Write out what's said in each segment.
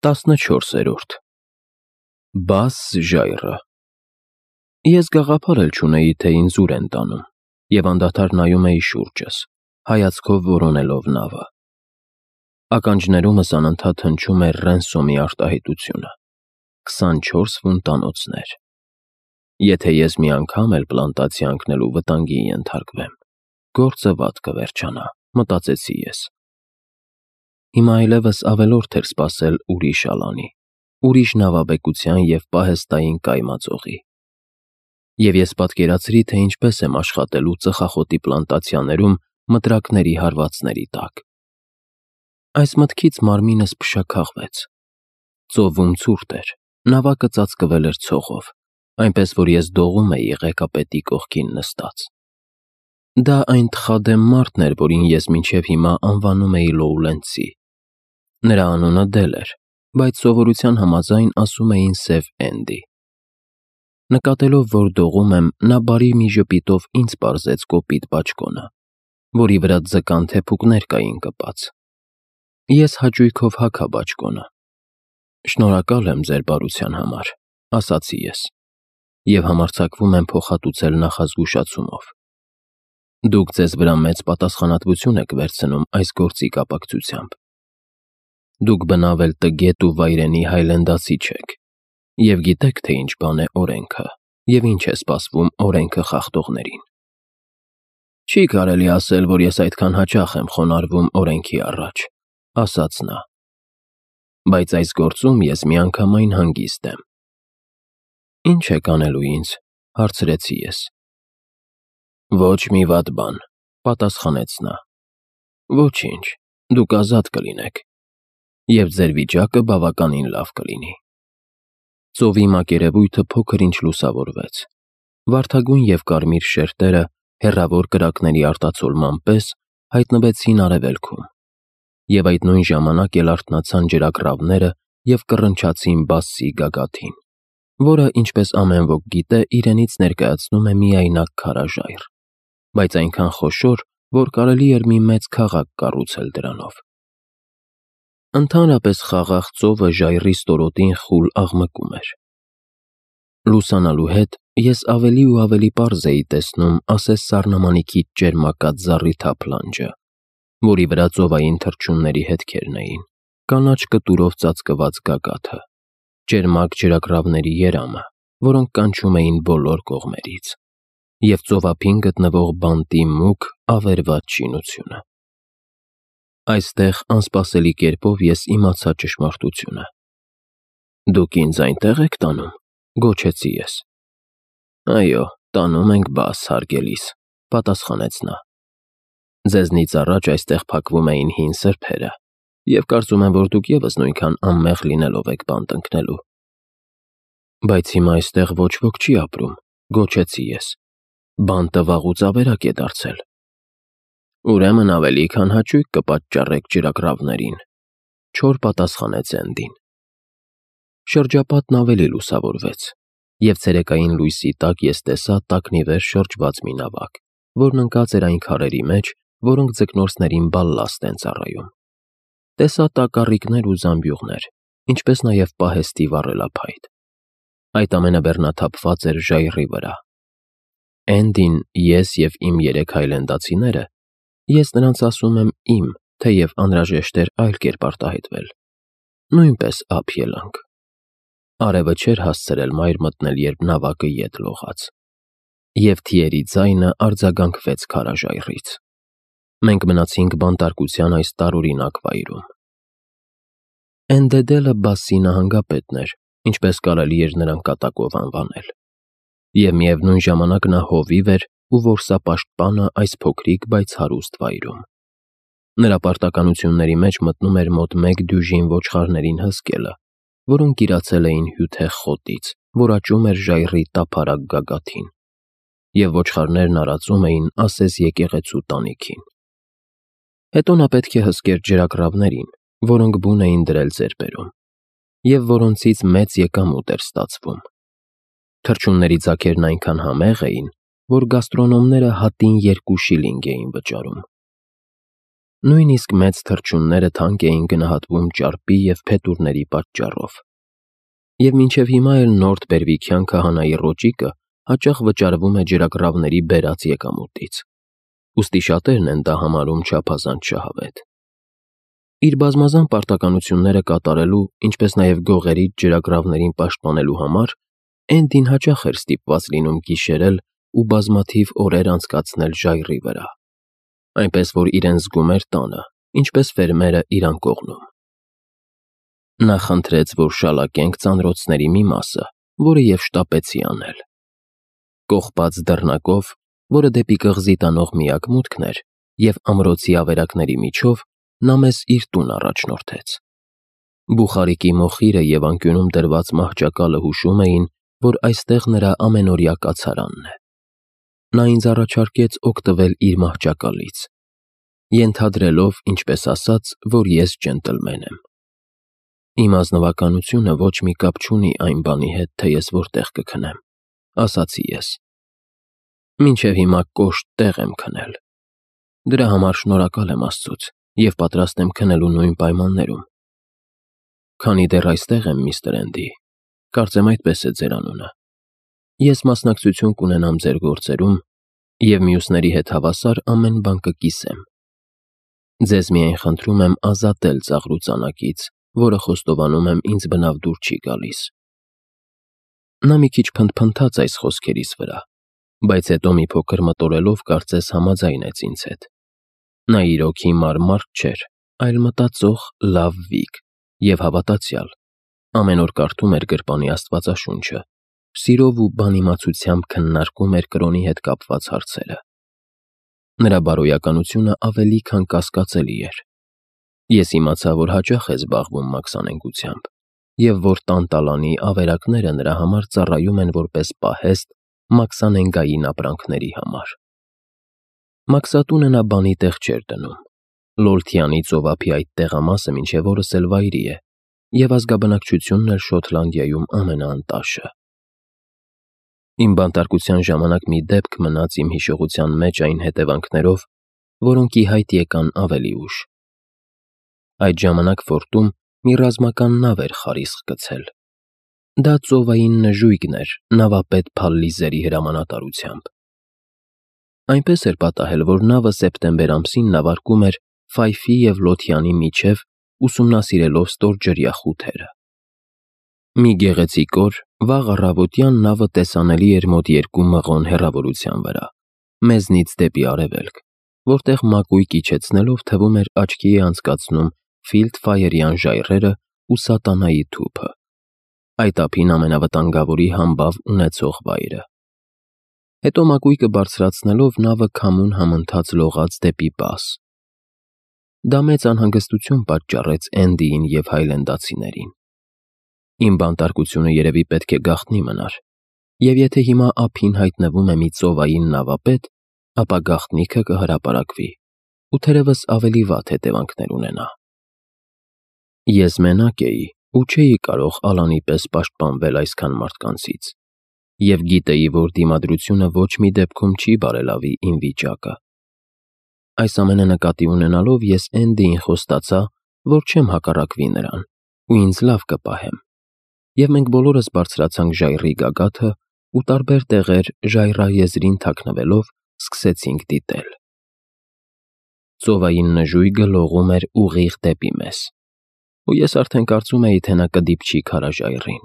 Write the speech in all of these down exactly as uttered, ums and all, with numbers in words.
տասնչորսերորդ Բաս ժայռը Ես գաղափար էլ չունեի, թե ինձ ուր են տանում, և անդադար նայում էի շուրջս, հայացքով որոնելով նավը։ Ականջներումս անընդհատ հնչում էր Ռենսոմի արտահայտությունը. քսանչորս ֆունտանոցներ։ Եթե ես մի անգամ էլ պլանտացիա ընկնելու վտանգի ենթարկվեմ, գործը վատ կվերջանա, մտածեցի ես։ Հիմա այլևս ավելորդ էր սպասել ուրիշ ալանի, ուրիշ նավաբեկության և պահեստային կայմածողի։ Եվ ես պատկերացրի, թե ինչպես եմ աշխատելու ծխախոտի պլանտացիաներում մտրակների հարվածների տակ։ Այս մտքից մարմինս փշաքաղվեց։ Ծովում ցուրտ էր, նավակը ծածկվել էր ցողով, այնպես որ ես դողում էի ղեկապետի կողքին նստած։ Դա այն թխադեմ մարդն էր, որին ես մինչև հիմա անվանում էի Լոուլենցի։ Նրա անունը Դել էր, բայց սովորության համաձայն ասում էին Սև Էնդի։ Նկատելով, որ դողում եմ, նա բարի մի ժպիտով ինձ պարզեց կոպիտ բաճկոնը, որի վրա ձկան թեփուկներ կային կպած։ Ես հաճույքով հագա բաճկոնը։ Շնորհակալ եմ ձեր բարության համար, ասացի ես, և համարձակվում եմ փոխհատուցել նախազգուշացումով։ Դուք ձեզ վրա մեծ պատասխանատվություն եք վերցնում այս գործի կապակցությամբ։ Դուք բնավ էլ տգետ ու վայրենի հայլենդացի չեք, և գիտեք, թե ինչ բան է օրենքը, և ինչ է սպասվում օրենքը խախտողներին։ Չի կարելի ասել, որ ես այդքան հաճախ եմ խոնարհվում օրենքի առաջ, ասաց նա։ Բայց այս գործում ես միանգամայն հանգիստ եմ։ Ինչ եք անելու ինձ, հարցրեցի ես։ Ոչ մի վատ բան, պատասխանեց նա։ Ոչինչ, դուք ազատ կլինեք, և ձեր վիճակը բավականին լավ կլինի։ Ծովի մակերևույթը փոքր-ինչ լուսավորվեց։ Վարդագույն և կարմիր շերտերը, հեռավոր կրակների արտացոլման պես, հայտնվեցին արևելքում, և այդ նույն ժամանակ էլ արթնացան ջրագռավները և կռնչացին Բասսի գագաթին, որը, ինչպես ամեն ոք գիտե, իրենից ներկայացնում է միայնակ քարաժայռ, բայց այնքան խոշոր, որ կարելի էր մի մեծ քաղաք կառուցել դրանով։ Ընդհանրապես խաղաղ ծովը ժայռի ստորոտին խուլ աղմկում էր։ Լուսանալու հետ ես ավելի ու ավելի պարզ էի տեսնում ասես սառնամանիքից ճերմակած զառիթափ լանջը, որի վրա ծովային թռչունների հետքերն էին, կանաչ կտուրով ծածկված գագաթը, ճերմակ ջրագռավների երամը, որոնք կանչում էին բոլոր կողմերից, և ծովափին գտնվող բանտի մուգ, ավերված շինությունը։ Այստեղ անսպասելի կերպով ես իմացա ճշմարտությունը։ Դուք ինձ այնտեղ եք տանում, գոչեցի ես։ Այո, տանում ենք Բաս, հարգելիս, պատասխանեց նա։ Ձեզնից առաջ այստեղ փակվում էին հին սրբերը, և կարծում եմ, որ դուք ևս նույնքան անմեղ լինելով եք բանտ ընկնելու։ Բայց հիմա այստեղ ոչ ոք չի ապրում, գոչեցի ես։ Բանտը վաղուց ավերակ է դարձել։ Ուրեմն ավելի քան հաճույք կպատճառեք ջրագռավներին, չոր պատասխանեց Էնդին։ Շրջապատն ավելի լուսավորվեց, և ցերեկային լույսի տակ ես տեսա տակնիվեր շրջված մի նավակ, որն ընկած էր այն քարերի մեջ, որոնք ձկնորսներին բալլաստ են ծառայում։ Տեսա տակառիկներ ու զամբյուղներ, ինչպես նաև պահեստի վառելափայտ։ Այդ ամենը բեռնաթափված էր ժայռի վրա։ Էնդին, ես և իմ երեք հայլենդացիները, ես նրանց ասում եմ իմ, թեև անհրաժեշտ էր այլ կերպ արտահայտվել, նույնպես ափ ելանք։ Արևը չէր հասցրել մայր մտնել, երբ նավակը ետ լողաց, և թիերի ձայնը արձագանքվեց քարաժայռից։ Մենք մնացինք բանտարկության այս տարօրինակ վայրում։ Էնդեդելը Բասսի նահանգապետն էր, ինչպես կարելի էր նրան կատակով անվանել, և միևնույն ժամանակ նա հովիվ էր ու որսապաշտպանը այս փոքրիկ, բայց հարուստ վայրում։ Նրա պարտականությունների մեջ մտնում էր մոտ մեկ դյուժին ոչխարներին հսկելը, որոնք իրացել էին հյութեղ խոտից, որ աճում էր ժայռի տափարակ գագաթին, և ոչխարներն արածում էին ասես եկեղեցու տանիքին։ Հետո նա պետք է հսկեր ջրագռավներին, որոնք բուն էին դրել ձեռբերում, և որոնցից մեծ եկամուտ էր ստացվում։ Թռչունների ձագերն այնքան համեղ էին, որ գաստրոնոմները հատին երկու շիլինգ էին վճարում։ Նույնիսկ մեծ թռչունները թանկ էին գնահատվում ճարպի և փետուրների պատճառով։ Եվ մինչև հիմա էլ Նորթ Բերվիքյան քահանայի ռոճիկը հաճախ վճարվում է ջրագռավների բերած եկամուտից, ուստի շատերն են դա համարում չափազանց շահավետ։ Իր բազմազան պարտականությունները կատարելու, ինչպես նաև գողերից ջրագռավներին պաշտպանելու համար Էնդին հաճախ էր ստիպված լինում գիշերել ու բազմաթիվ օրեր անցկացնել ժայռի վրա, այնպես որ իրեն զգում էր տանը, ինչպես ֆերմերը իր անկողնում։ Նա խնդրեց, որ շալակենք ծանրոցների մի մասը, որը և շտապեցի անել։ Կողպած դռնակով, որը դեպի կղզի տանող միակ մուտքն էր, և ամրոցի ավերակների միջով նա մեզ իր տուն առաջնորդեց։ Բուխարիկի մոխիրը և անկյունում դրված մահճակալը հուշում էին, որ այստեղ նրա ամենօրյա կացարանն է։ Նա ինձ առաջարկեց օգտվել իր մահճակալից, ենթադրելով, ինչպես ասաց, որ ես ջենտլմեն եմ։ Իմ ազնվականությունը ոչ մի կապ չունի այն բանի հետ, թե ես որտեղ կքնեմ, ասացի ես։ Մինչև հիմա կոշտ տեղ եմ քնել։ Դրա համար շնորհակալ եմ Աստծուց և պատրաստ եմ քնելու նույն պայմաններում։ Քանի դեռ այստեղ եմ, միստր Էնդի, կարծեմ այդպես է ձեր անունը, ես մասնակցություն կունենամ ձեր գործերում և մյուսների հետ հավասար ամեն բան կկիսեմ։ Ձեզ միայն խնդրում եմ ազատել ծաղրուծանակից, որը խոստովանում եմ ինձ բնավ դուր չի գալիս։ Նա մի քիչ փնթփնթաց այս խոսքերիս վրա, բայց հետո մի փոքր մտորելով կարծես համաձայնեց ինձ հետ։ Նա իրոք հիմար մարդ չէր, այլ մտածող, լավ վիկ և հավատացյալ, ամեն օր կարդում էր գրպանի Աստվածաշունչը, սիրով ու բանիմացությամբ քննարկում էր կրոնի հետ կապված հարցերը։ Նրա բարոյականությունը ավելի քան կասկածելի էր։ Ես իմացա, որ հաճախ է զբաղվում մաքսանենգությամբ և որ տանտալանի ավերակները նրա համար ծառայում են որպես պահեստ մաքսանենգային ապրանքների համար։ Մաքսատունը նա բանի տեղ չէր դնում։ Լոլթյանի ծովափի այդ տեղամասը մինչև օրս էլ վայրի է, և ազգաբնակչությունն էլ Շոթլանդիայում ամենաանտաշը։ Իմ բանտարկության ժամանակ մի դեպք մնաց իմ հիշողության մեջ այն հետևանքներով, որոնք ի հայտ եկան ավելի ուշ։ Այդ ժամանակ ֆորտում մի ռազմական նավ էր խարիսկ գցել։ Դա ծովային նժույգն էր նավապետ Փալլիզերի հրամանատարությամբ։ Այնպես էր պատահել, որ նավը սեպտեմբեր ամսին նավարկում էր Ֆայֆի և Լոթյանի միջև ուսումնասիրելով ստորջրյա խութերը։ Մի գեղեցիկ օր, վաղ առավոտյան նավը տեսանելի էր մոտ երկու մղոն հեռավորության վրա, մեզնից դեպի արևելք, որտեղ մակույկը իջեցնելով թվում էր աչքի է անցկացնում Ֆիլդֆայերյան ժայռերը ու Սատանայի թուփը, այդ ափին ամենավտանգավորի համբավ ունեցող վայրը։ Հետո մակույկը բարձրացնելով նավը քամուն համընթաց լողաց դեպի բաս։ Դա մեծ անհանգստություն պատճառեց Էնդիին և հայլենդացիներին։ Իմ բանտարկությունը երևի պետք է գաղտնի մնար, և եթե հիմա ափին հայտնվում է մի ծովային նավապետ, ապա գաղտնիքը կհրապարակվի ու թերևս ավելի վատ հետևանքներ ունենա։ Ես մենակ էի ու չէի կարող Ալանի պես պաշտպանվել այսքան մարդկանցից, և գիտեի, որ դիմադրությունը ոչ մի դեպքում չի բարելավի իմ վիճակը։ Այս ամենը նկատի ունենալով ես Էնդիին խոստացա, որ չեմ հակառակվի նրան ու ինձ լավ կպահեմ, և մենք բոլորս բարձրացանք ժայռի գագաթը ու տարբեր տեղեր ժայռաեզրին թաքնվելով սկսեցինք դիտել։ Ծովային նժույգը լողում էր ուղիղ դեպի մեզ, ու ես արդեն կարծում էի, թե նա կդիպչի քարաժայռին։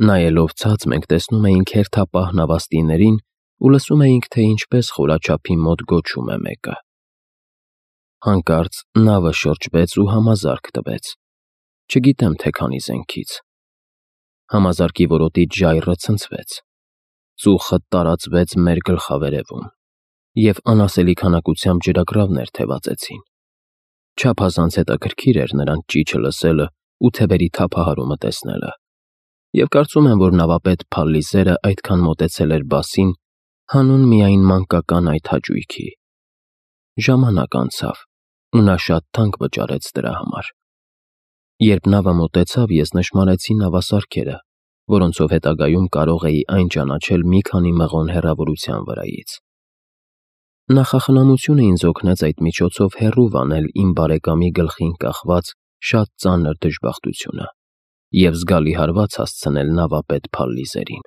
Նայելով ցած մենք տեսնում էինք հերթապահ նավաստիներին ու լսում էինք, թե ինչպես խորաչափի մոտ գոչում է մեկը։ Հանկարծ նավը շրջվեց ու համազարկ տվեց, չգիտեմ, թե քանի զենքից։ Համազարկի որոտից ժայռը ցնցվեց, ծուխը տարածվեց մեր գլխավերևում, և անասելի քանակությամբ ջրագռավներ թևածեցին։ Չափազանց հետաքրքիր էր նրանց ճիչը լսելը ու թևերի թափահարումը տեսնելը, և կարծում եմ, որ նավապետ Փալլիզերը այդքան մոտեցել էր բասին հանուն միայն մանկական այդ հաճույքի։ Ժամանակ անցավ, ու նա շատ թանկ վճարեց դրա համար։ Երբ նավը մոտեցավ, ես նշմարեցի նավասարքերը, որոնցով հետագայում կարող էի այն ճանաչել մի քանի մղոն հեռավորության վրայից։ Նախախնամությունը ինձ օգնեց այդ միջոցով հեռու վանել իմ բարեկամի գլխին կախված շատ ծանր դժբախտությունը և զգալի հարված հասցնել նավապետ Փալլիզերին։